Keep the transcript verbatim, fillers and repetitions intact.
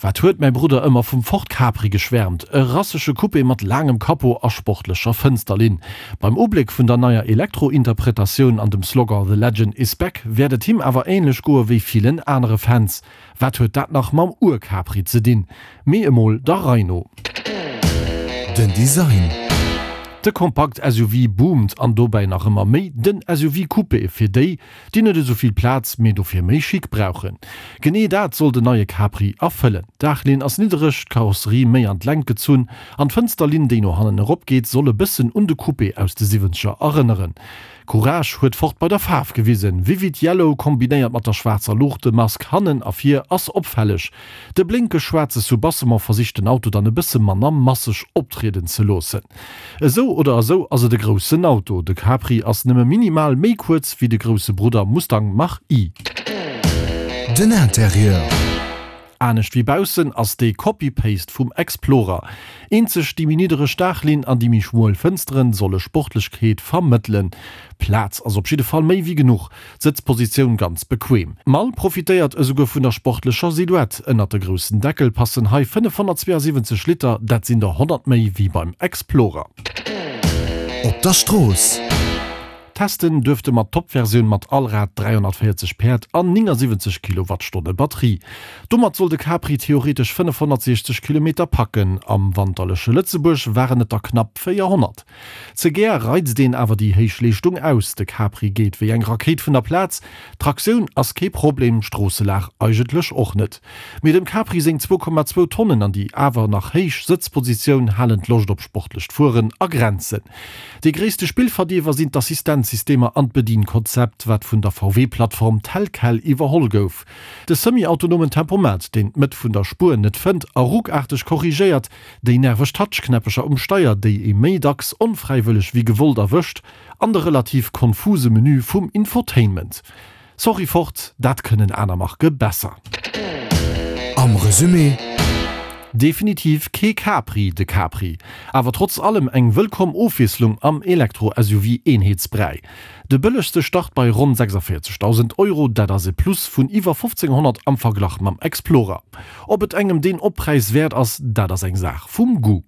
Wat huet mäi Brudder ëmmer vum Ford Capri geschwäermt, e rassege Coupé mat laangem Capot a sportlecher Fënsterlinn. Beim Ubléck vun der neier Elektro-Interpretatioun an dem Slogan The Legend is back wäert et him awer änlech goe wéi villen anere Fans. Wat huet dat nach mam Ur-Capri ze dinn? Mee emol der Rei no. Den Design. De Kompakt-S U V boomt an dobäi nach ëmmer méi den S U V Coupé fir déi, déi net esou vill Plaz, mee dofir méi Chic brauchen. Genee dat soll den neie Capri erfëllen. D'Daachlinn ass niddereg, d'Karosserie méi an d'Längt gezunn an d'Fënsterlinn, déi no hannen eropgeet, soll e bëssen un de Coupé aus de Siwwenzeger erënneren. Courage huet Ford bei der Faarf gewisen. Vivid Yellow kombinéiert mat der schwaarzer Luuchtemask hannen a vir ass opfälleg. De blénkeg schwaarze Soubassement versicht den Auto dann e bësse manner masseg optrieden ze loossen. Esou oder esou ass et e groussen Auto. De Capri ass nëmme minimal méi kuerz wéi de grousse Brudder Mustang Mach-E. Den Interieur. Anescht wéi baussen ass dee Copy-Paste vum Explorer. Eenzeg déi méi niddereg Daachlinn an déi méi schmuel Fënsteren solle Sportlechkeet vermëttelen. Plaz ass op jidde Fall méi wéi genuch, d'Sëtzpositioun ganz bequem. D'Mall profitéiert esouguer vun der sportlecher Silhouette, ënnert de groussen Deckel passen hei fënnefhonnertzweeasiwwenzeg Liter, dat sinn der honnert méi wéi beim Explorer. Op der Strooss. Testen duerfte mer d'Top-Versioun mat Allrad, dräihonnertvéierzeg Päerd an néngasiwwenzeg Kilowattstonne Batterie. Domat soll de Capri theoretesch fënnefhonnertsiechzeg Kilometer packen, am wanterleche Lëtzebuerg waren et der knapp véierhonnert. Ze gär reizt een awer déi héich Leeschtung aus, de Capri geet wéi eng Rakéit vun der Plaz. D'Traktioun ass kee Problem, d'Stroosselag eigentlech och net. Mee dem Capri seng zwou Komma zwou Tonnen an déi awer nach héich Sëtzpositioun halen d'Loscht op sportlecht Fueren a Grenzen. Dee gréisste Spillverdierwer sinn d'Assistenzsystemer an d'Bedienkonzept, wat vun der V W-Plattform tel quel iwwerholl gouf. De semi-autonomen Tempomat, deen d'Mëtt vun der Spuer net fënnt a ruckaarteg korrigéiert, déi nerveg Touch-Knäppecher um Steier, déi ee méi dacks onfräiwëlleg wéi gewollt erwëscht, an de relativ konfuse Menü vum Infotainment. Sorry Ford, dat kënnen aner Marke besser. Am Resumé. Definitiv kee Capri, de Capri. Awer trotz allem eng wëllkomm Ofwiesslung am Elektro-S U V-Eenheetsbräi. De bëllegste start bei ronn sechsavéierzegdausend Euro, dat ass e Plus vun iwwer fofzénghonnert am Verglach mam Explorer. Ob et engem deen Oppräis wäert ass, dat ass eng Saach vum Goût.